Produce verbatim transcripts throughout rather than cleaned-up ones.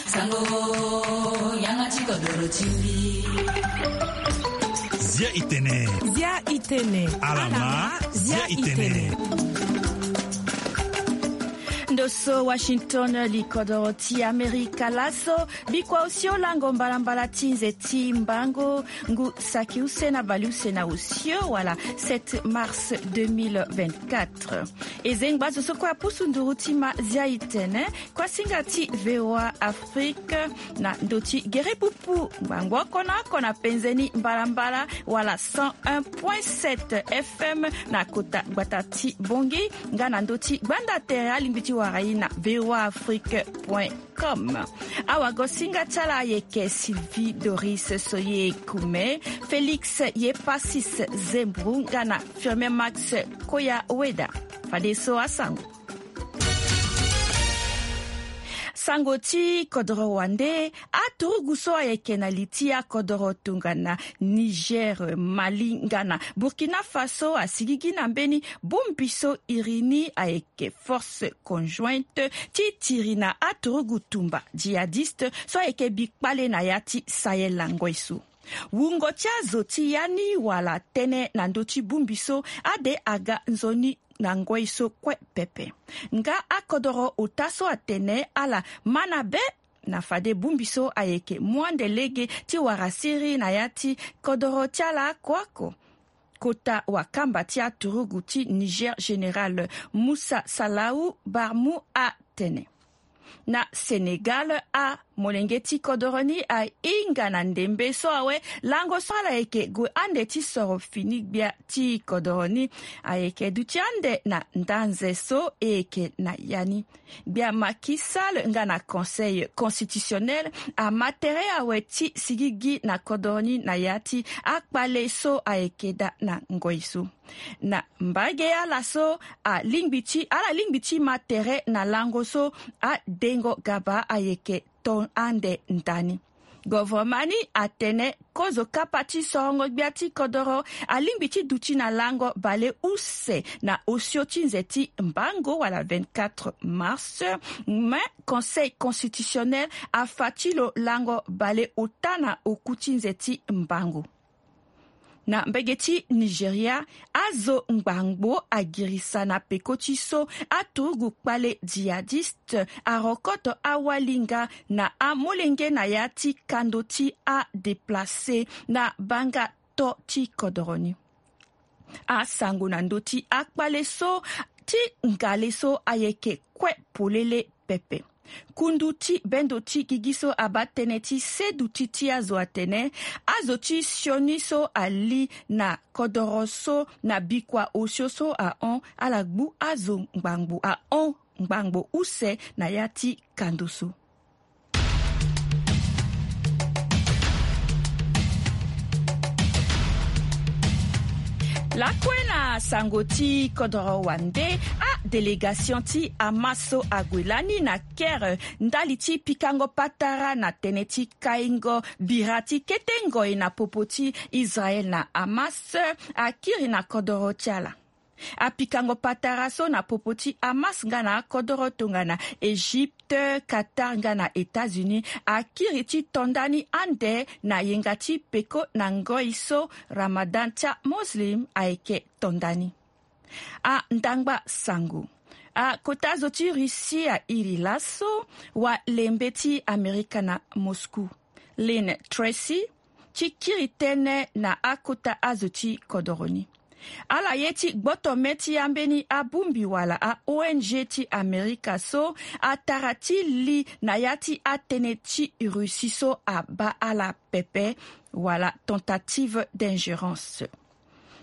Sango, yanga ti kodoro ti mbi. Zia itene. Zia itene. Alama, zia itene. Ndo so Washington, li kodoro ti Amerika laso. Bikua osio lango mbalambala ti nze ti mbango, ngu saki use na bale use na osio wala sept mars deux mille vingt-quatre. E zengba zo so kue apusu nduru ti ma zia itene. Kuasinga ti V O A Afrique na ndö ti gere pupu ngbangbo oko na oko na penze ni mbalambala wala cent un point sept F M na kota gbata ti Bangui, nga na ndö ti gbanda tere alingbi ti wara ye na V O A Afrique point com. Awagosinga ti ala ayeke Sylvie Doris Soye Kume, Félix Yepasis Zembru nga na Firmin Max Koya Weda. Fadeso asango. Sango ti kodoro wande, aturugu so ayeke na li ti akodoro tongana Niger, Mali nga na Burkina Faso asigigi na mbeni bongbi so iri ni ayeke Force Conjointe ti tiri na aturugu tumba djihadiste so ayeke bi kpale na ya ti Sahel na ngoi so. Wungo ti azo ti ya ni wala tënë na ndö ti bongbi so ade aga nzoni na ngoi so kue pepe. Nga akodoro ota so atene ala ma na be na fade bongbi so ayeke mu ande lege ti wara siriri na ya ti kodoro ti ala oko oko. Kota wakamba ti aturugu ti Niger, général Moussa Salahu Barmou, atene. Na Sénégal, amolenge ti kodoro ni ahinga na ndembe so awe lango so ala yeke gue ande ti soro fini gbia ti kodoro ni. Ayeke duti ande na ndanze so e yeke na ya ni. Gbia Macky Sall nga na Conseil constitutionnel ama tere awe ti sigigi na kodoro ni na ya ti akpale so ayeke daa na ngoi so. Na mbage ala so alingbi ti, ala lingbi ti ma tere na lango so adengo gaba ayeke to ande ndani. Govoroma ni atene kozo kapa ti sorongo gbia ti kodoro alingbi ti duti na lango bale use na osio ti nze ti mbango wala vingt-quatre mars. Mais Conseil constitutionnel afa ti lo lango bale ota na oku ti nze ti mbango. Na mbege ti Nigeria, azo ngbangbo agirisa na peko ti so aturugu kpale djihadiste arokoto awalinga na amolenge na ya ti kando ti adeplace na banga to ti kodoro ni. Asango na ndö ti akpale so ti ngale so ayeke kue polele pepe. Kundu ti bendo ti gigi so abaa tënë ti seduti ti azo atene, azo ti sioni so ali na kodoro so na bikua osio so ahon ala gbu azo ngbangbo ahon ngbangbo use na ya ti kando so. Lakue na sango ti kodoro wande, adelegation ti Hamas so ague lani na Caire ndali ti pikango patara na tënë ti kaingo bira ti kete ngoi na popo ti Israël na Hamas akiri na kodoro ti ala. Apikango patara so na popo ti Hamas nga na akodoro tongana Égypte, Qatar nga na États-Unis akiri ti to ndani ande na yenga ti peko na ngoi so Ramadan ti aMuslim ayeke to ndani. Andangba sango. Akota zo ti Russie airi laso walembe ti Amerika na Moscou, Lynn Tracy, ti kiri tënë na akota azo ti kodoro ni. Ala ye ti gboto mê ti ambeni abongbi wala a-O N G ti Amerika so atara ti li na ya ti atënë ti Russie so abaa ala pepe wala tentative d'ingérence.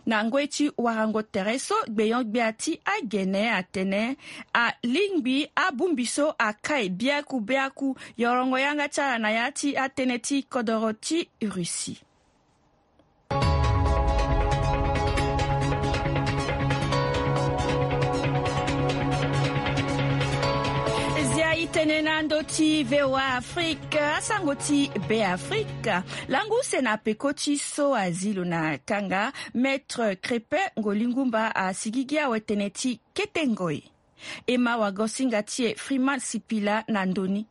Na ngoi ti warango tere so gbenyo-gbia ti agene atene alingbi abongbi so akai biaku biaku yorongo yanga ti ala na ya ti atënë ti kodoro ti Russie. Zia itene na ndo ti V O A Afrique, asango ti Be Afrique. Langu use na peko ti so azi lo na kanga, Maître Crépin Ngolingumba asigigi awe tënë ti kete ngoi. E ma wagosinga ti e Freeman Sipila na ndoni.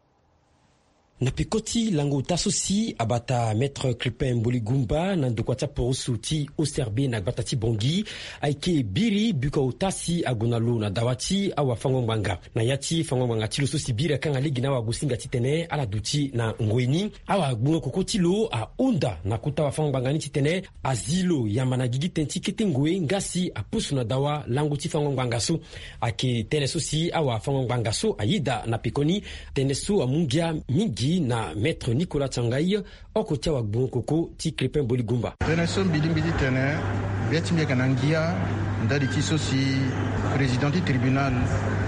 Na peko ti lango ota so si abata Maître Crépin Mboligumba na ndokua ti aporoso ti O C R B na gbata ti Bangui, ayeke biri bikua ota si ague na lo na dawa ti awafango-ngbanga. Na ya ti fango-ngbanga ti lo so si biri akanga lege na awagosinga titene ala duti na ngoi ni, awagbongo koko ti lo ahunda na kota wafango-ngbanga ni titene azi lo yamba na gigi tënë ti kete ngoi nga si apusu na dawa lango ti fango-ngbanga so. Ayeke tënë so si awafango-ngbanga so ayeda na pekoni. Tënë so amu ngia mingi na Maître Nicolas Tiangaye, oko ti awagbongo koko ti Crépin Mboligumba. Tënë so mbi lingbi titene gbia ti mbi ayeke na ngia ndali ti so si président ti tribunal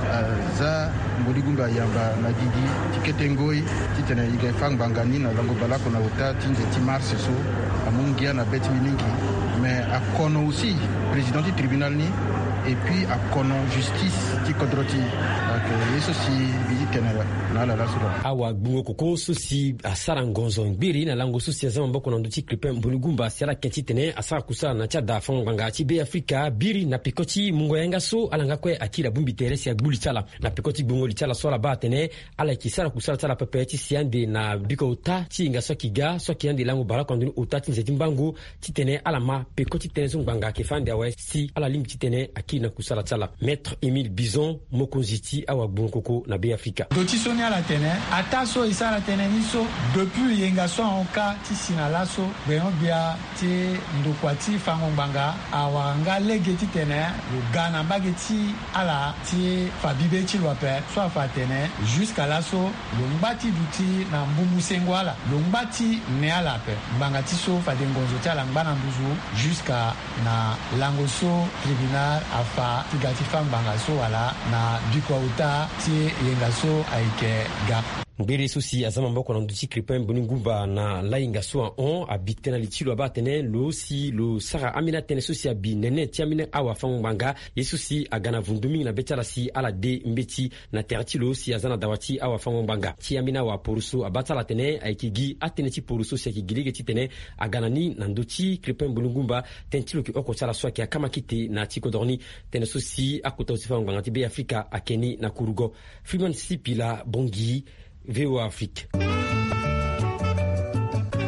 aza Mboligumba yamba na gigi ti kete ngoi titene e ga fa ngbanga ni na lango baleoko na ota ti nze ti mars so. Amu ngia na be ti mbi mingi. Mais akono aussi président ti tribunal ni, et puis akono justice ti kodro ti e. Donc ye so si mbi ti tene na ala laso laa. Awagbongo koko so si asara ngonzo ngbiri na lango so si aza maboko na ndö ti Crépin Mboligumba si ala yeke titene asara kusala na ti ada fango-ngbanga ti Be Afrika, biri na peko ti mungo yanga so ala nga kue akiri abongbi tere si agbu li ti ala. Na peko ti gbongo li ti ala so ala baa atene ala yeke sara kusala ti ala pepe ti si ande na bikua ota ti yenga so ayeke ga so ayeke ande lango baleoko na ndoni ota ti nze ti mbango, titene ala ma peko ti tënë so ngbanga ayeke fâ ande awe si ala lingbi titene akiri na kusala ti ala. Maître Émile Bison, mokonzi ti awagbongo koko na Be Afrika. Ndo ti so ni ala tene, ataa so e sara tënë ni so, depuis yenga so ahon kâ ti si na laso, gbenyo-gbia ti ndokua ti fango-ngbanga awara nga lege titene lo ga na mbage ti ala ti fa bibe ti lo ape, so afa atene jusqu'à laso lo ngba ti duti na mbungu sengo ala, lo ngba ti ne ala ape. Ngbanga ti so fade ngonzo ti ala ngba na nduzu jusqu'à na lango so tribunal afa ti ga ti fâ ngbanga so wala na bikua ota ti yenga so ayeke ga. Ngbere so si aza maboko na ndö ti Crépin Mboligumba na lahinga so ahon abi tënë na li ti lo abaa atene lo si lo sara ambeni atënë so si abi nene ti ambeni awafango-ngbanga, ye so si aga na vundu mingi na be ti ala si ala de mbeti na tere ti lo si aza na dawa ti awafango-ngbanga. Ti ambeni awaporoso abaa ti ala atene ayeke gi atënë ti poroso si ayeke gi lege titene aga na ni na ndö ti Crépin Mboligumba. Tënë ti lo yeke oko ti ala so ayeke akama kete na ti kodro ni. Tënë so si akota zo ti fango-ngbanga ti Be Afrika ayeke ni na kurugo. Freeman Sipila, Bangui, V O A Afrique.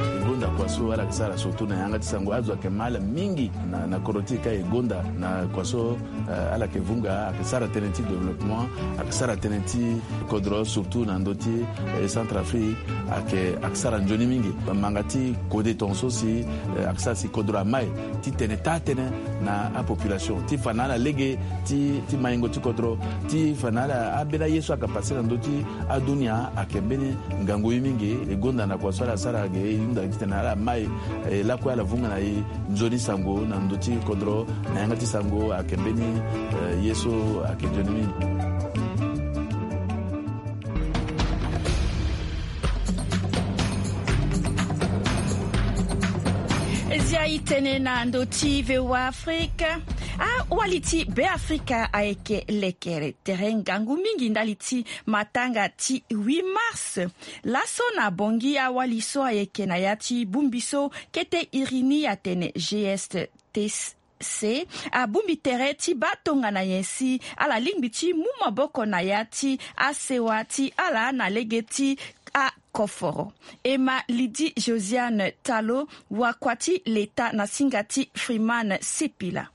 E gonda kua so ala yeke sara surtout na yanga ti sango, azo ayeke ma ala mingi na, na kodro ti e ka e gonda na kua so, eh, ala yeke vunga, ayeke sara tënë ti développement, ayeke sara tënë ti kodro surtout na ndö ti, eh, Centrafrique, ayeke, ayeke sara nzoni mingi. Manga ti kode tongaso si, eh, ayeke sara si kodro amai ti tene taa tënë na apopulation ti fa na ala lege ti, ti maingo ti kodro, ti fa na ala ambeni aye so ayeke pase na ndö ti adunia ayeke mbeni ngangu ye mingi. E gonda na kua so ala sara ge e hunda titene ala mai, e lakue ala vunga na e nzoni sango na ndö ti kodro na yanga ti sango ayeke mbeni, eh, ye so ayeke nzoni mingi. Zia e tene na ndö ti V O A Afrique. Awali ti Be Afrika ayeke lekere tere ngangu mingi ndali ti matanga ti huit mars. Laso na Bangui awali so ayeke na ya ti bongbi so kete iri ni atene G S T C abongbi tere ti baa tongana nyen si ala lingbi ti mu maboko na ya ti asewa ti ala na lege ti akoforo. E ma Lydie Josiane Talo, wakua ti leta na singa ti Freeman Sipila.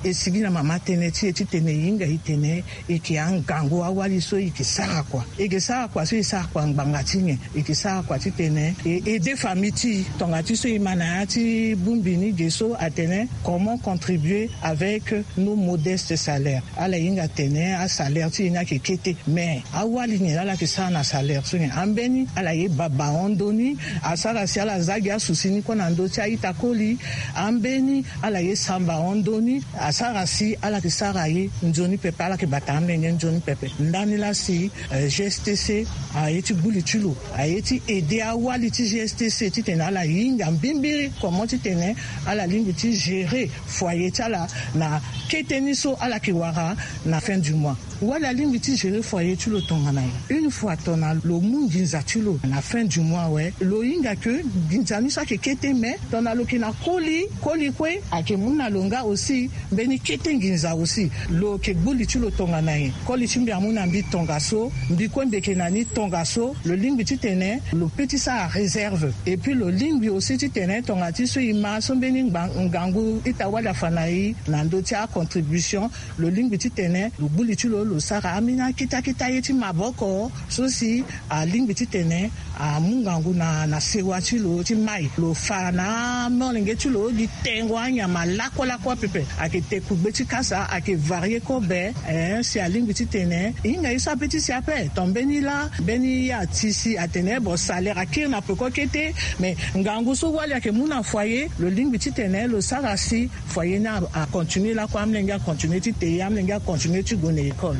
E sigi na mama tënë ti e titene e hinga e tene e yeke angangu awali so e yeke sara kua. E yeke sara kua so e sara kua ngbanga ti nyen? E yeke sara kua titene e aide famille ti e. Tonga ti so e ma na ya ti bongbi ni ge so atene comment contribuer avec nos modestes salaires. Ala hinga atene asalaire ti e ni ayeke kete. Mais awali nyen laa ala yeke sara na salaire so nyen? Ambeni ala ye baba hon ndö ni, asara si ala za gi asusi ni kue na ndö ti a-ita koli. Ambeni ala ye samba hon ndö ni, asara si ala yeke sara ye nzoni pepe, ala yeke bata amenge nzoni pepe. Ndani laa si, eh, G S T C aye ti gbu li ti lo, aye ti aide awali ti G S T C titene ala hinga mbimbiri comment titene ala lingbi ti gérer foyer ti ala na kete ni so ala yeke wara na fin du mois. Wala alingbi ti gérer foyer ti lo tongana nyen? Une fois tongana lo mu nginza ti lo na fin du mois awe, lo hinga ke nginza ni so ayeke kete, mais tongana lo yeke na koli, koli kue ayeke mu na lo nga aussi mbeni kete nginza aussi. Lo yeke gbu li ti lo tongana nyen? Koli ti mbi amu na mbi tongaso, mbi kue mbi yeke na ni tongaso. Lo lingbi titene lo peut ti sara réserve. Et puis lo lingbi aussi titene tongana ti so e ma so mbeni ngba- ngangu ita-wali afa na e na ndö ti acontribution, lo lingbi titene lo gbu li ti lo, lo sara ambeni akete akete aye ti maboko so si alingbi titene amu ngangu na na sewa ti lo ti mai. Lo fa na amolenge ti lo gi tengo anyama lakue lakue apepe. Ayeke te kugbe ti kasa, ayeke varie kobe. Eh, si alingbi titene e hinga ye so ape ti si ape. Ton mbeni laa, mbeni ye ati si atene bon, salaire akiri na peko kete. Mais ngangu so wali ayeke mu na foyer, lo lingbi titene lo sara si foyer ni a- acontinue lakue, amolenge acontinue ti te ye, amolenge acontinue ti gue na école.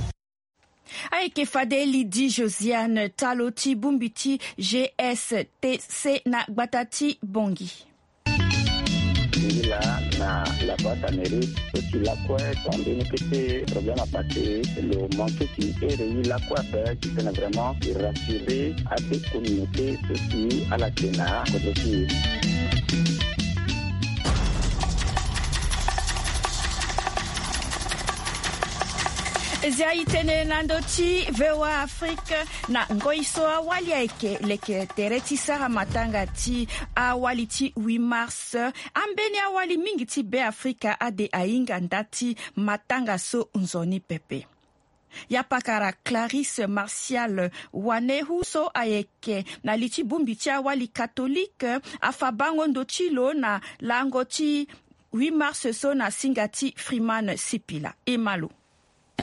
Ayeke fade Lydie Josiane, talo ti bongbi ti G S T C na gbata ti Bangui. Ngila na la boîte à mairie, so si lakue ton mbeni kete problème apassé, lo manqué ti ere ye lakue ape, titene vraiment e rassurer ade communauté so si ala yeke na kodro ti e. Zia e tene na ndö ti V O A Afrique. Na ngoi so awali ayeke leke tere ti sara matanga ti awali ti huit mars, ambeni awali mingi ti Beafrika ade ahinga nda ti matanga so nzoni pepe. Ya pakara Clarisse Martial Wanehu so ayeke na li ti bongbi ti awali katolike afa bango ndo ti lo na lango ti huit mars so na singa ti Freeman Sipila. E ma lo.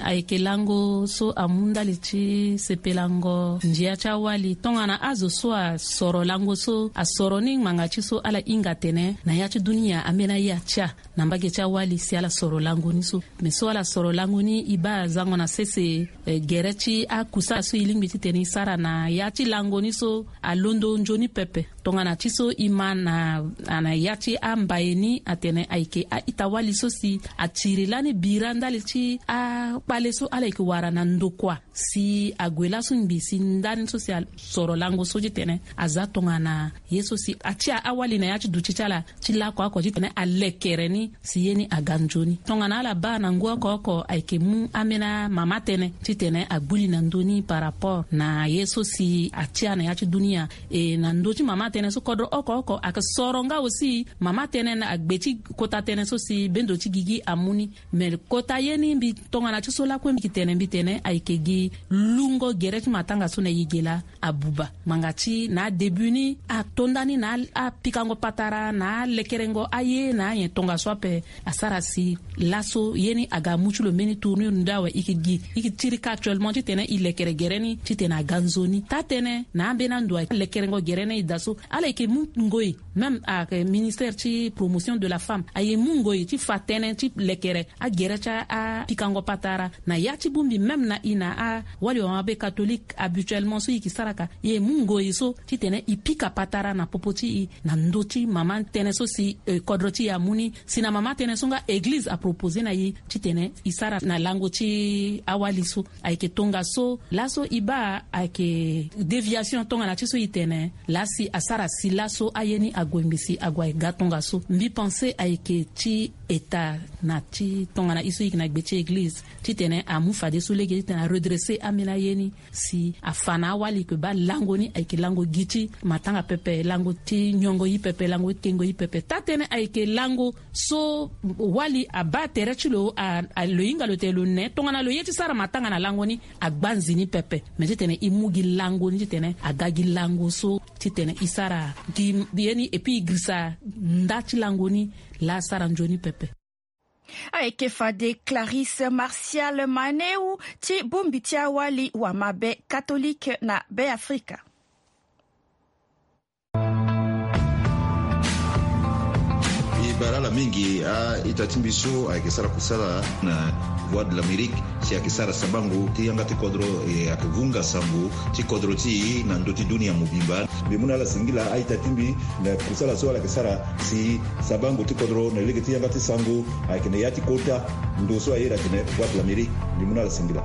Ayeke lango so amu ndali ti sepelango ndia ti awali tongana azo so asoro lango so asoro ni ngbanga ti so ala hinga atene na ya ti dunia ambeni aye atia na mbage ti awali si ala soro lango ni so. Me so ala soro lango ni e baa zango na sese, eh, gere ti akusala so e lingbi titene e sara na ya ti lango ni so alondo nzoni pepe. Tongana ti so e ma na, na ya ti ambaye ni atene ayeke a-ita-wali so si atiri lani bira ndali ti akpale so ala yeke wara na ndokua si ague laso ngbii si ndani so si asoro lango so titene aza tongana ye so si atia awali na ya ti duti ti ala ti laoko oko titene alekere ni si ye ni aga nzoni. Tongana ala baa na ngu oko oko ayeke mu ambeni amama tënë titene agbu li na ndö ni par rapport na ye so si atia na ya ti dunia. E na ndö ti mama tënë so kodro oko oko ayeke soro nga aussi mama tënë na agbe ti kota tënë so si bendo ti gigi amu ni. Me kota ye ni mbi tongana ti so lakue mbi yeke tene mbi tene ayeke gi lungo gere ti matanga so na e ge laa. Abuba ngbanga ti na adébut ni ato nda ni na a- apikango patara na alekerengo aye na anyen tongaso ape. Asara si laso ye ni aga amu ti lo mbeni tournure ndo awe. E yeke gi e yeke tirika actuellement titene e lekere gere ni titene aga nzoni. Taa-tënë na ambeni ando ayeke lekerengo gere ni e daa so ala yeke mu ngoi. Même ayeke ministère ti promotion de la femme aye mu ngoi ti fa tënë ti lekere agere ti apikango patara na ya ti bongbi même na e na awali wamabe catholique habituellement so e yeke sara ka e mu ngoi so titene e pika patara na popo ti e na ndö ti mama tënë so si, eh, kodro ti e amu ni si na mama tënë so nga eglize apropose na e titene e sara na lango ti awali so. Ayeke tongaso laso e baa ayeke déviation tongana ti so e tene laa si asara si laso aye ni ague ngbii si ague aga tongaso. Mbi pense ayeke ti eta na ti tongana e so e yeke na gbe ti eglize titene amu fadeso lege titene aredresser ambeni aye ni si afa na awali yeke baa lango ni ayeke lango gi ti matanga pepe, lango ti nyongo ye pepe, lango ti kengo ye pepe. Taa-tënë ayeke lango so wali abaa tere ti lo a- a- lo hinga lo tene lo ne tongana lo ye ti sara matanga na lango ni agbanzi ni pepe. Me titene e mu gi lango ni titene aga gi lango so titene e sara gi ye ni et puis e girisa nda ti lango ni laa asara nzoni pepe. Ayeke fade Clarisse Martial Maneu ti bongbi ti awali wamabe catholique na Beafrika. E bara ala mingi a-ita ti mbi so ayeke sara kusala na Voix de l'Amérique si ayeke sara sabango ti yanga ti kodro, e ayeke vunga sango ti kodro ti e na ndö ti dunia mobimba. Mbi mu na ala singila a-ita ti mbi na kusala so ala yeke sara si sabango ti kodro na lege ti yanga ti sango ayeke na ya ti kota ndo so aye atene Voix de l'Amérique. Mbi mu na ala singila.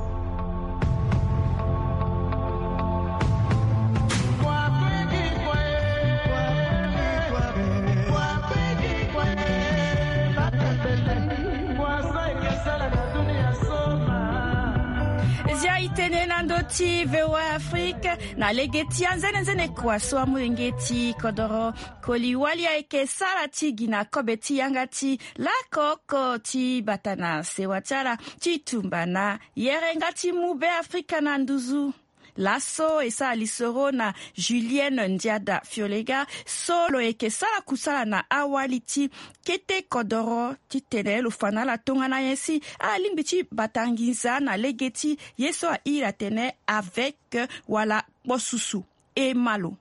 Tene na ndö ti VOA Afrique na lege ti anzenenzene kua so amolenge ti kodoro koli wali ayeke sara ti gi na kobe ti yanga ti lakoko ti bata na sewa ti ala ti tumba na yerenga ti mu Be Afrika na nduzu. Laso e sara lisoro na Julienne Ndiada Fiolega so lo yeke sara kusala na awali ti kete kodoro titene lo fa na ala tongana nyen si ala lingbi ti bata nginza na lege ti ye so a iri atene avec wala kpo susu. E ma lo.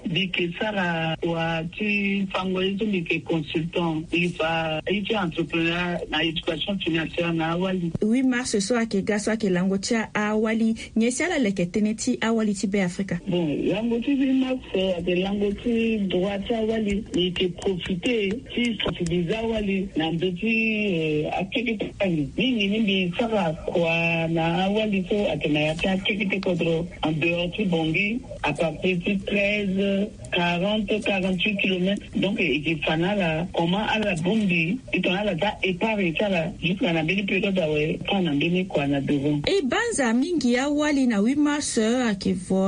Mbi yeke sara wa ti fango ye so mbi yeke consultant. Mbi fa ye ti entrepreneur na éducation financière na awali. Huit mars so ayeke ga so ayeke lango ti awali, nyen si ala leke tënë ti awali ti Be Afrika? Bon, lango ti huit mars ayeke lango ti droit ti awali. Mbi yeke profiter ti sensibiliser awali na ndö ti akeke ti awali. Mingi ni mbi sara kua na awali so ayeke na ya ti akeke ti kodro en dehors ti Bangui, à partir ti treize, quarante, quarante-huit kilomètres. Donc e yeke fa na ala comment ala bongbi titene ala za épargne ti ala jusqu'à na mbeni période awe, tant na mbeni kua na devant. E banza mingi awali na huit mars ayeke vo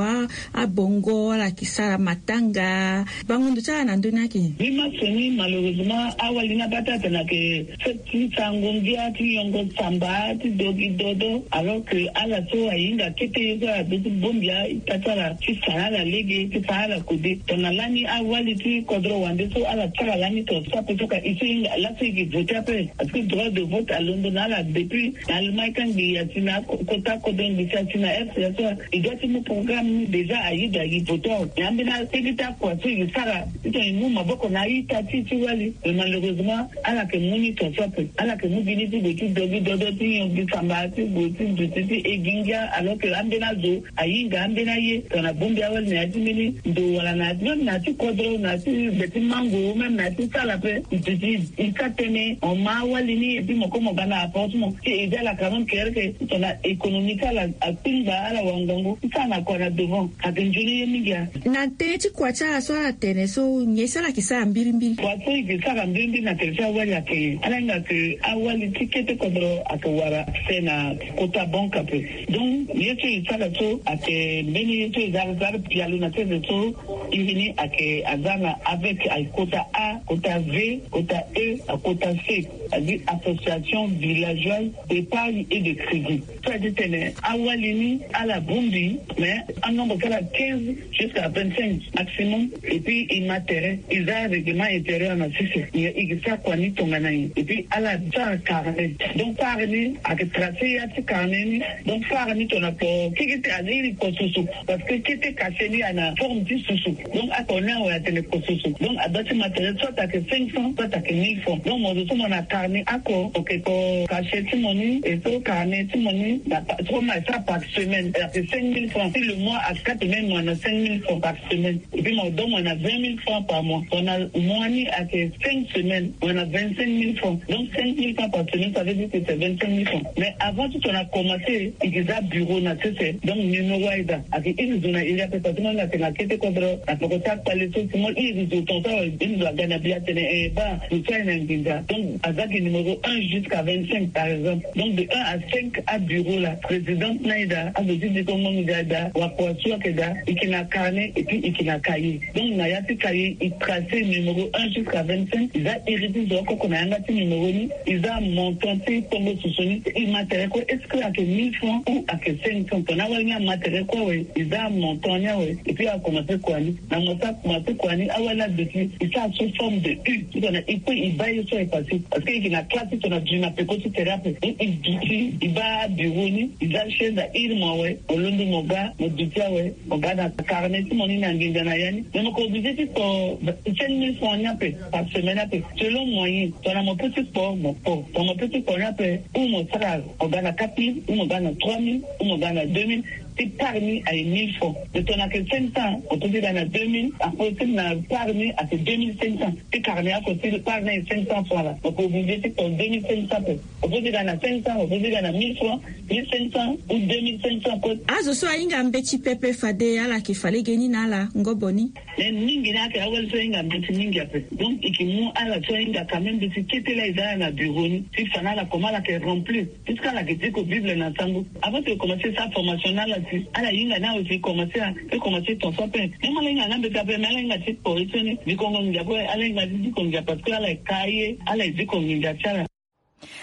abongo, ala yeke sara matanga. Bango ndo ti ala na ndö ni ayeke nyen? Huit mars ni malheureusement awali ni abaa ti atene ayeke fête ti sango ngia, ti yongo samba, ti do gi dodo, alors que ala so ahinga kete ye so ala be ti bongbi a-ita ti ala ti fa na ala lege, ti fa na ala kode. Tongana lani awali ti kodro wande so ala sara lani tongaso ape so ka e so e hinga laso e yeke vote ape. Parce que droit de vote alondo na ala depuis na Allemagne kangbi, asi na ko-, kota kodro ngbisi, asi na R C A so. E doit ti mu programme ni déjà, aye da e vote awe. Mais ambeni akeke ti akua so e sara titene e mu maboko na a-ita ti e ti wali. Mais malheureusement ala yeke mu ni tongaso ape. Ala yeke mu gi ni ti gue ti do gi dodo, ti nyon gi samba, ti gue ti duti, ti e gi ngia, alors que ambeni azo ahinga ambeni aye tongana bongbi awali na ya ti mbeni ndo wala na ya ti, même na ya ti kodro, na ya ti gbe ti mango, même na ya ti sala ape. E duti, e sara tënë, on ma awali ni, et puis mo ko mo ga na appartement. Ti e zi ala quand même kere ke tongana économie ti ala akpingba, ala wangango ti sara na kua na devant. Ayeke nzoni ye mingi a. Na tënë ti kua ti ala so ala tene so, nyen si ala yeke sara mbirimbiri? Kua so e yeke sara mbirimbiri na tere ti awali ayeke ala hinga ke awali ti kete kodro ayeke wara accès na kota banque ape. Donc ye so e sara so ayeke mbeni ye so e za, za pialo na sese so, iri ni ayeke aza na avec, ayeke kota A, kota V, kota E, akota C. C'est-à-dire Association Villageoise d'Épargne et de Crédit. So a ye ti tene awali ni ala bongbi, mais anombre ti ala quinze jusqu'à vingt-cinq maximum. Et puis e ma tere, e za règlement intérieur na sese. E, e yeke sara kua ni tongana nyen? Et puis ala sara carnet. Donc fare ni ayeke tracer ya ti carnet ni. Donc fare ni tongana kpo keke ti ala iri kpo susu. Parce que kete cachet ni ana forme ti susu. Donc oko ni awe atene kpo susu. Donc adoit ti ma tere soit ayeke cinq cents, soit ayeke mille francs. Donc mo zo so mo na carnet oko, mo yeke ko cachet ti mo ni, e so carnet ti mo ni na pa-, so mo na sara par semaine, ayeke cinq mille francs. Si le mois akate même, mo na cinq mille francs par semaine. Et puis mo donne, mo na vingt mille francs par mois. Mo na mois ni ayeke cinq semaines, mo na vingt-cinq mille francs. Donc cinq mille francs par semaine, ça veut dire que c'est vingt-cinq mille francs. Mais avant tout, on a commencé, e yeke za bureau na sese. Donc numéro aye da. Ayeke iri zo na iri ape, parce que mo na tene na kete kodro na peko ti akpale so, si mo iri zo tongaso awe, iri zo aga na bi atene, eh, baa, zo so aye na nginza. Donc aza gi numéro un jusqu'à vingt-cinq par exemple. Donc de un à cinq abureau la, présidente ni aye da, azo ti dikongo nginza aye da, wakua so ayeke da, e yeke na carnet et puis e yeke na cahier. Donc na ya ti cahier e tracer numéro un jusqu'à vingt-cinq, e za iri ti zo oko oko na yanga ti numéro ni, e za montant ti tongo susu ni, e ma tere kue est-ce que ayeke mille francs ou ayeke cinq cents. Tongana awali ni ama tere kue awe, e za montant ni awe, et puis a commencer kua ni. Na mo so a commencer kua ni, awali ni aduti, e sara sous forme de U. Tongana e kue e baa ye so e passé. Parce que e yeke na classe ti tongana duti na peko ti tere ape. E, e duti, e baa bureau ni, e za chaise, a iri mo awe, mo londo mo ga, mo duti awe, mo ga na carnet ti mo ni na nginza na ya ni. Mais mo yeke obligé ti kpo cinq mille francs ni ape par semaine ape, selon moyen. Tongana mo peut ti kpo, mo kpo. Tongana mo peut ti kpo ni ape, ou mo sara, mo ga na quatre mille, ou mo ga na trois mille, ou mo ga na deux mille. ti part ni aye mille francs. Lo tongana ayeke cinq cents, lo peut ti ga na deux mille. Après ti na part ni ayeke deux mille cinq cents. Ti carnet oko ti part ni aye cinq cents francs laa, lo peut obligé ti ton deux mille cinq cents pe. Lo peut ti ga na cinq cents, lo peut ti ga na mille francs, mille cinq cents ou deux mille cinq cents pe. Azo so ahinga mbeti pepe fade ala yeke fa legeni na ala ngobo ni. Mais mingi ni ayeke awali so ahinga mbeti mingi ape. Donc e ke mu ala so ahinga quand même mbeti kete laa e za ala na bureau ni ti fa na ala comment ala yeke remplir. Puisque ala yeke diko Bible na sango. Avant ti e commencer sa formation na ala si ala hinga ni awe si e commencer a e commencer ton so ape. Même ala hinga nga mbeti ape mais ala hinga ti pori so ni dikongo nginza ape, ala hinga ti dikongo nginza parce que ala yeke ka ye, ala yeke dikongo nginza ti ala.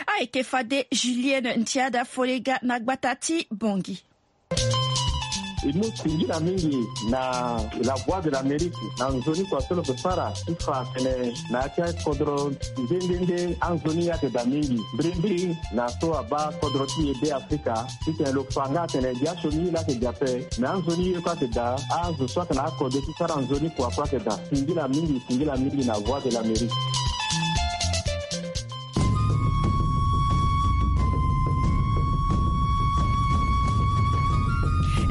Ayeke fade Julienne Ntiada Folega na gbata ti Bangui. E mu singila mingi na La Voix de l'Amérique na nzoni kua so lo yeke sara ti fa atene na ya ti akodro nde nde nde anzoni ayeke daa mingi mbirimbiri na so abaa kodro ti e Be Afrika. Titene lo fa nga atene gi asioni ye laa ayeke daa ape, me anzoni ye kue ayeke daa. Azo so ayeke na akode ti sara nzoni kua kue ayeke daa. Singila mingi, singila mingi na Voix de l'Amérique.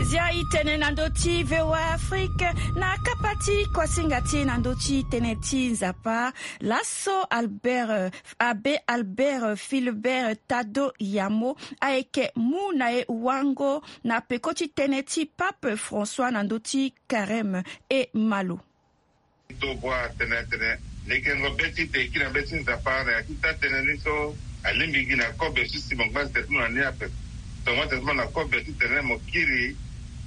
Zia e tene na ndö ti V O A Afrique na kapa ti kuasinga ti e na ndö ti tënë ti Nzapa. Laso Albert, Abbé Albert Philibert Tado Yamo ayeke mu na e wango na peko ti tënë ti Pape François na ndö ti Carême e malo. Tobua tene tene lekengo be ti te e kiri na be ti Nzapa na ya ti taa-tënë ni so alingbi gi na kobe so si mo ngba tene ti mo na ni ape. Tongana tene ti mo na kobe titene mo kiri,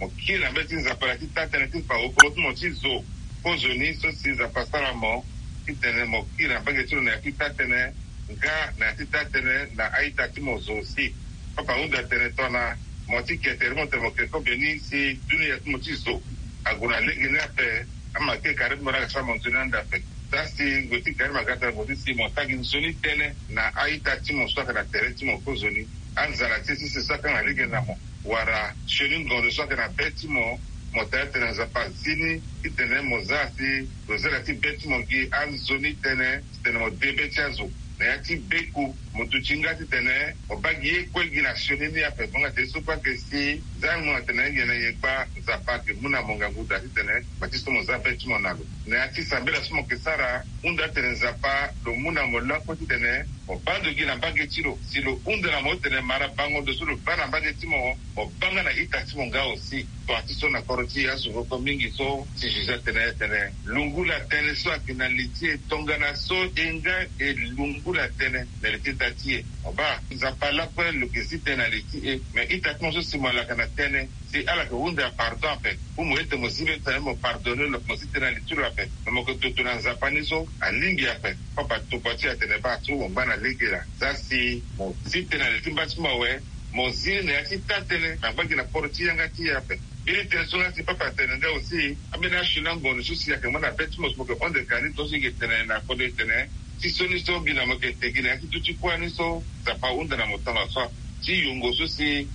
mo kiri na be ti Nzapa na ya ti taa-tënë ti fa wokolo ti mo ti zo. Kozoni so si Nzapa asara mo titene mo kiri na mbage ti lo na ya ti taa-tënë nga na ya ti taa-tënë na a-ita ti mo zo si. Papa ahunda tene tongana mo ti ke tere ti mo tene mo ke kobe ni si dunia ti mo ti zo ague na lege ni ape. Ama ke kare ti mo laa aga sara mo nzoni ande ape. Za si ngoi ti kare ti mo aga tara mo ti si mo sara gi nzoni tënë na a-ita ti mo so ayeke na tere ti mo kozoni. Anzala ti e so si so akanga lege na mo wala sioni ngonzo so ayeke na be ti mo. Mo taa tene Nzapa azi ni titene mo za si lo zia na ya ti be ti mo gi anzoni tënë. Titene mo de be ti azo na ya ti beku. Mo duti nga titene mo baa gi ye kue gi na sioni ni ape. Mo nga tene so kue ayeke si za mo nga tene nyen na nyen kpa Nzapa ayeke mu na mo ngangu daa titene mo ti so mo za be ti mo na lo. Na ya ti sambela so mo yeke sara hunda tene Nzapa lo mu na mo lakue titene mo baa ndo gi na mbage ti lo. Si lo hunda na mo titene mara bango ndo so lo baa na mbage ti mo, mo baa nga na ita ti mo nga aussi. Tongana ti so na koro ti azo voko mingi so ti juge atene tene lungula tënë so ayeke na li ti e tongana so e nga e lungula tënë na li ti ita ti e. Mo baa Nzapa lakue lo yeke zi tënë na li ti e. Me ita ti mo so si mo laka na tënë si ala yeke hunda pardon ape. Ou mo ete mo zi be tene mo pardonne lo mo zi tënë na li ti lo ape. Me mo yeke toto na Nzapa ni so alingbi ape. Papa tokua ti e atene baa so mo ngba na lege laa. Za si mo zi tënë na li ti mba ti mo awe. Mo zi na ya ti taa-tënë na ngba gi na poro ti yanga ti e ape. Mbeni tënë so nga si papa atene nga aussi ambeni asioni angonzo so si ayeke mu na be ti mo so mo yeke hon de ka ni tongaso e yeke tene na kodro e tene ti sioni so mbi na mo yeke te gi na ya ti duti kuâ ni so Nzapa ahunda na mo tongaso ape. Ti yongo so si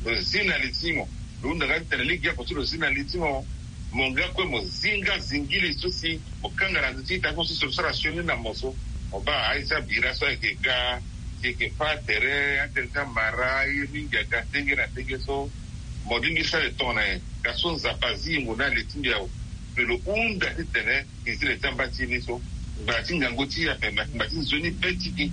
lo zi na li ti mo lo hunda nga titene lege oko so lo zi na li ti mo. Mo nga kue mo zi nga zingili so si mo kanga na ndö ti ita ti mo so si lo sara sioni na mo so. Mo baa aye ti abira so ayeke ga si e yeke fâ tere atene ti amara ye mingi aga ndenge na ndenge so. Mo lingbi sara e tongana nyen? Ka so Nzapa azi yongo ni na li ti mbi awe. Me lo hunda titene e zi le ti amba ti e ni so. Ngba ti ngangu ti e ape me ayeke ngba ti nzoni be ti e.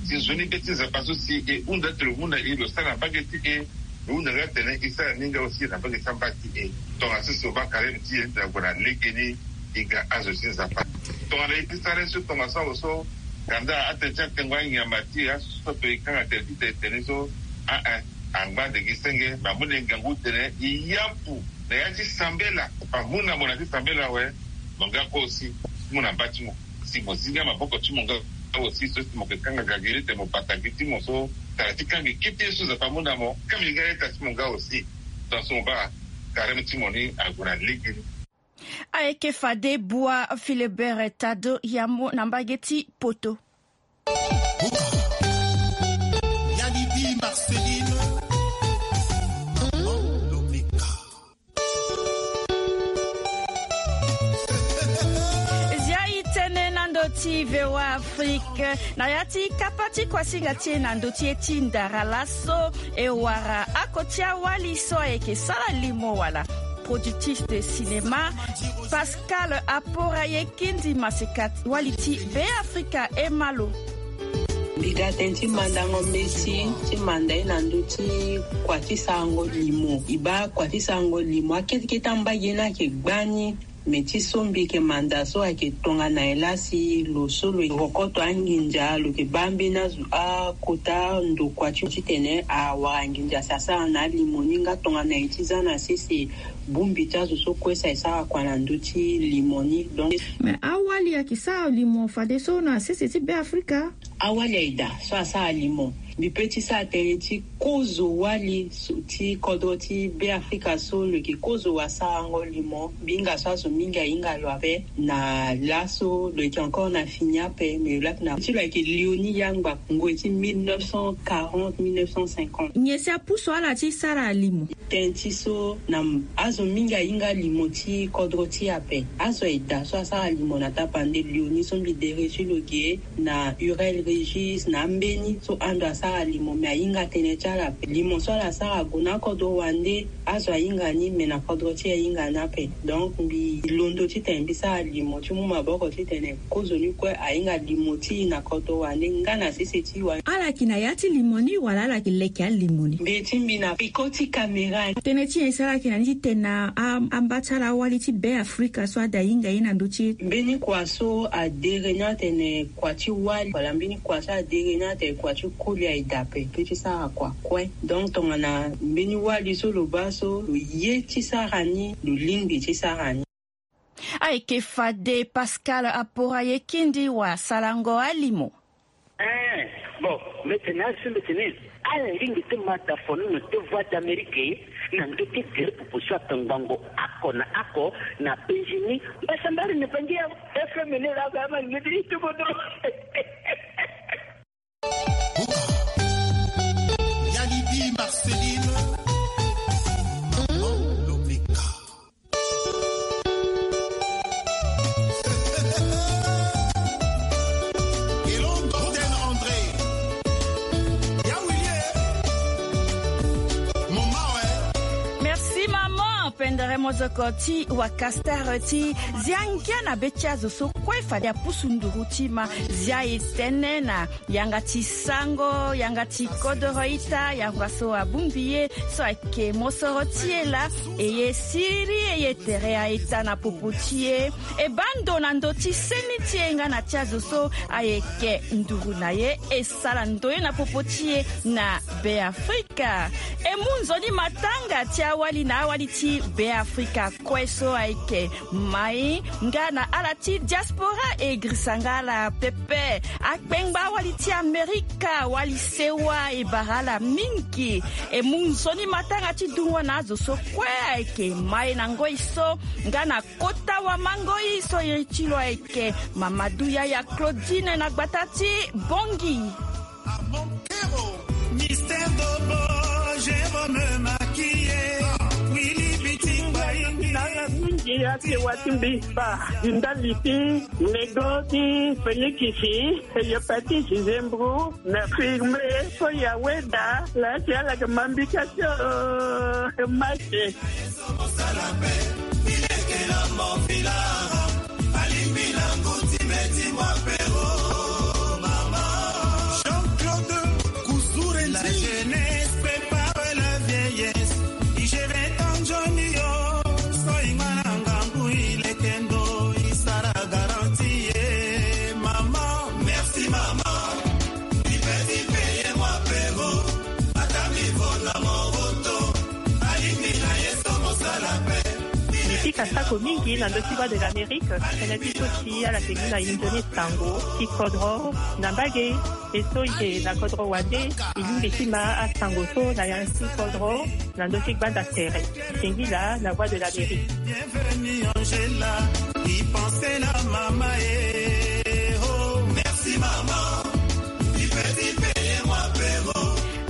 Si nzoni be ti Nzapa so si e hunda ti lo mu na e lo sara na mbage ti e. Lo hunda nga tene e sara ni nga aussi na mbage ti amba ti e. Tongana so si lo baa carême ti e na gue na legeni. E ga azo ti Nzapa. Tongana e ti sara ye so tongaso awe so. Kanda atene ti atengo anyama ti e aso so ape e kanga tene ti tene tene so. A-e. Angba ande gi senge me amu na e ngangu tene e yapu na ya ti sambela. Amu na mo na ya ti sambela awe. Mo nga kue aussi mu na mba ti mo. Si mo zi nga maboko ti mo nga aussi so si mo yeke kanga gageri tene mo bata gi ti mo so. Tara ti kanga gi kete ye so Nzapa amu na mo kanga gi nga ita ti mo nga aussi. Tonga so mo baa carême ti mo ni ague na lege ni. Ayeke fade Bua Philibert Tado Yamo na mbage ti poto. Yanidi Marceline. Zia e tene na ndö ti V O A Afrique na ya ti kapa ti kuasinga ti e na ndö ti e ti ndara laso e wara ako Koti awali so ayeke sara limo wala productif de cinéma, Pascal Aporaye Kindi Masekat, wali ti Be Afrika. E ma lo. Mbi ga tënë ti mandango mbeti ti manda ye na ndö ti kua ti sarango limo. E baa kua ti sarango limo, akete kete ambage ni ayeke gbani. Me ti so mbi yeke manda so ayeke tongana nyen laa si lo so lo yeke kokoto anginza, lo yeke baa mbeni azo akota ndokua ti titene awara nginza si asara na alimo ni, nga tongana nyen e ti za na sese bongbi ti azo so kue si ayeke sara kua na ndö ti limo ni. Donc, me awali ayeke sara limo fadeso na sese ti Be Afrika. Awali aye daa so asara limo. Mbi pe ti sara tënë ti kozo wali so ti kodro ti Be Afrika so lo yeke kozo wasarango limo. Mbi hinga so azo mingi ahinga lo ape na laso lo yeke encore na fini ape, me lo laa ti lo ayeke Léonie Yangba, ngoi ti mille neuf cent quarante, mille neuf cent cinquante. Nyen si apusu ala ti sara limo? Tënë ti so na azo mingi ahinga limo ti kodro ti e ape. Azo aye daa so asara limo na tapande Léonie so mbi dere ti lo ge na Hurel Régis, na ambeni so ando asara limo, me ahinga tënë ti ala ape. Limo so ala sara ague na akodro wande, azo ahinga ni, me na kodro ti e ahinga ni ape. Donc mbi londo titene mbi sara limo ti mu maboko titene kozo ni kue ahinga limo ti e na kodro wande nga na sese ti wande. Ala yeke na ya ti limo ni wala ala yeke leke alimo ni? Mbi ti mbi na peko ti kamera. Tënë ti nyen si ala yeke na ni titene na a- amba ti ala awali ti Be Afrika so ada hinga ye na ndö ti e? Mbeni kua so adere ni atene kua ti wali wala mbeni kua so adere ni atene kua ti koli aye daa ape, pe ti sara kua kue. Donc tongana mbeni wali so lo baa so lo ye ti sara ni, lo lingbi ti sara ni. Ayeke fade Pascal Aporaye Kindi wasarango alimo. Eh, bon, mbeti ni asi mbeti ni. Ala lingbi ti ma dafono na te Voix d'Amérique na ndö ti gere popo so atongbango oko na oko na penzi ni. Mbasambari na bangi ya F M ni la ba ma ngeti ti bodo. Yalibi Marceline. Maman Lomeka. Merci maman. Pendere mozoko ti wakastar ti zia ngia na be ti azo so kue fade apusu nduru ti ma. Zia e tënë na yanga ti sango, yanga ti kodoro ita, yanga so abongbi ye so ayeke mosoro ti e laa. E ye siriri e ye tere a-ita na popo ti e. E baa ndo na ndö ti seni ti e nga na ti azo so ayeke nduru na ye. E sara ndoye na popo ti e na Be Afrika. E mu nzoni matanga ti awali na awali ti Be Afrika kue so ayeke mai nga na ala ti diaspora e girisa nga ala pepe. Akpengba awali ti Amerika, wali sewa e bara ala mingi. E mu nzoni matanga ti dungo na azo so kue ayeke mai na ngoi so nga na kota wamangoi so iri ti lo ayeke Mamadou Yaya Claudine na gbata ti Bongi. Mystère Dobo, Jérôme Maquillé, Willy Bitingba. Nanga mingi ake wa ti mbi ba ndali ti nego ti Félix, Heliopati José Mbru, na firme so Yahweh da la ti ala ke mambika tio. Mache. Jean-Claude Kuzure, la jeunesse prépare la vieillesse. I gère ton johnny yo. So i ngana ngangu i lekendo i sara garantie. Maman, merci maman. Mbi peti peye mwa pero. Ata mbi vo na moroto. Alingi na ye so mosala pe. Mbi fika sako mingi na ndö ti Voix de l'Amérique. Tënë ti so si ala ke gi na inzoni sango ti kodro na mbage. E so i ke na kodro wande, i lingbi ti ma asango so na ya ti kodro na ndö ti gbanda tere. Singila na Voix de l'Amérique. Bienvenue Angela, i pense na mama e. Oh, merci mama. I peti peye mwa pero.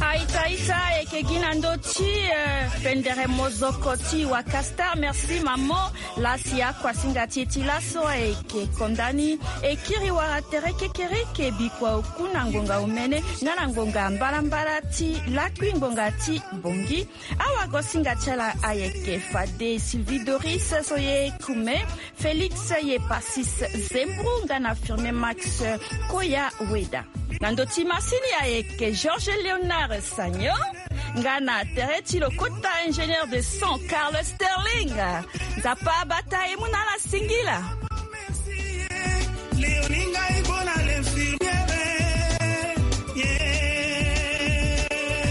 A-ita, a-ita, e Ke gi na ndö ti pendere mozoko ti wakastar merci mamo. Lasi akuasinga ti e ti laso ayeke konda ni. E kiri wara tere kekereke bikua oku na ngonga omene nga na ngonga mbalambala ti lakui ngonga ti bongi. Awagosinga ti ala ayeke fade sylvie doris so ye kume, félix ye pasis, zembru nga na firme max koya weda. Na ndö ti masini ayeke georges léonard sagno nga na tere ti lokota ingénieur de son carlos sterling. Nzapa abata e mu na ala singila.